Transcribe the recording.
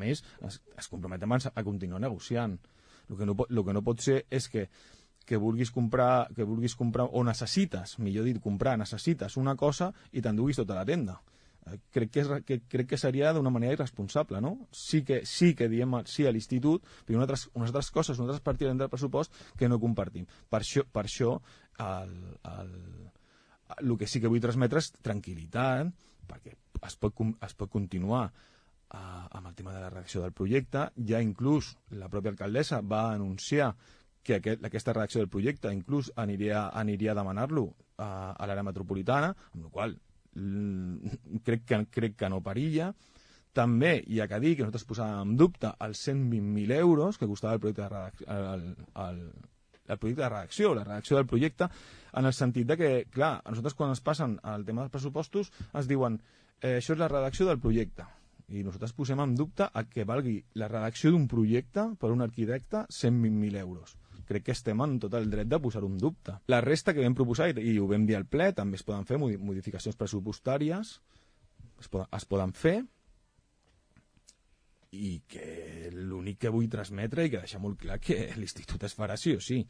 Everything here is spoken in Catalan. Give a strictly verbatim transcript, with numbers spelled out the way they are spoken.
més, es, es comprometem a, a continuar negociant. El que no, el que no pot ser és que que vulguis comprar, que vulguis comprar o necessites, millor dit, comprar, necessites una cosa i t'enduguis tota la tenda. Eh, crec, que és, que, crec que seria d'una manera irresponsable, no? Sí que, sí que diem sí a l'institut, però unes altres, unes altres coses, unes altres partides del pressupost que no compartim. Per això, per això el, el, el que sí que vull transmetre és tranquil·litat, perquè es pot, es pot continuar uh, amb el tema de la redacció del projecte. Ja inclús la pròpia alcaldessa va anunciar que aquest, aquesta redacció del projecte inclús aniria, aniria a demanar-lo a, a l'àrea metropolitana, amb la qual crec que, crec que no perilla. També hi ha que dir que nosaltres posàvem en dubte els cent vint mil euros que costava el projecte de redacció, el, el, el projecte de redacció, la redacció del projecte, en el sentit de que, clar, a nosaltres quan es passen al tema dels pressupostos es diuen eh, això és la redacció del projecte. I nosaltres posem en dubte a que valgui la redacció d'un projecte per un arquitecte cent vint mil euros. Crec que estem en tot el dret de posar un dubte. La resta que vam proposar, i ho vam dir al ple, també es poden fer modificacions pressupostàries, es poden, es poden fer, i que l'únic que vull transmetre i que deixar molt clar que l'institut es farà sí o sí.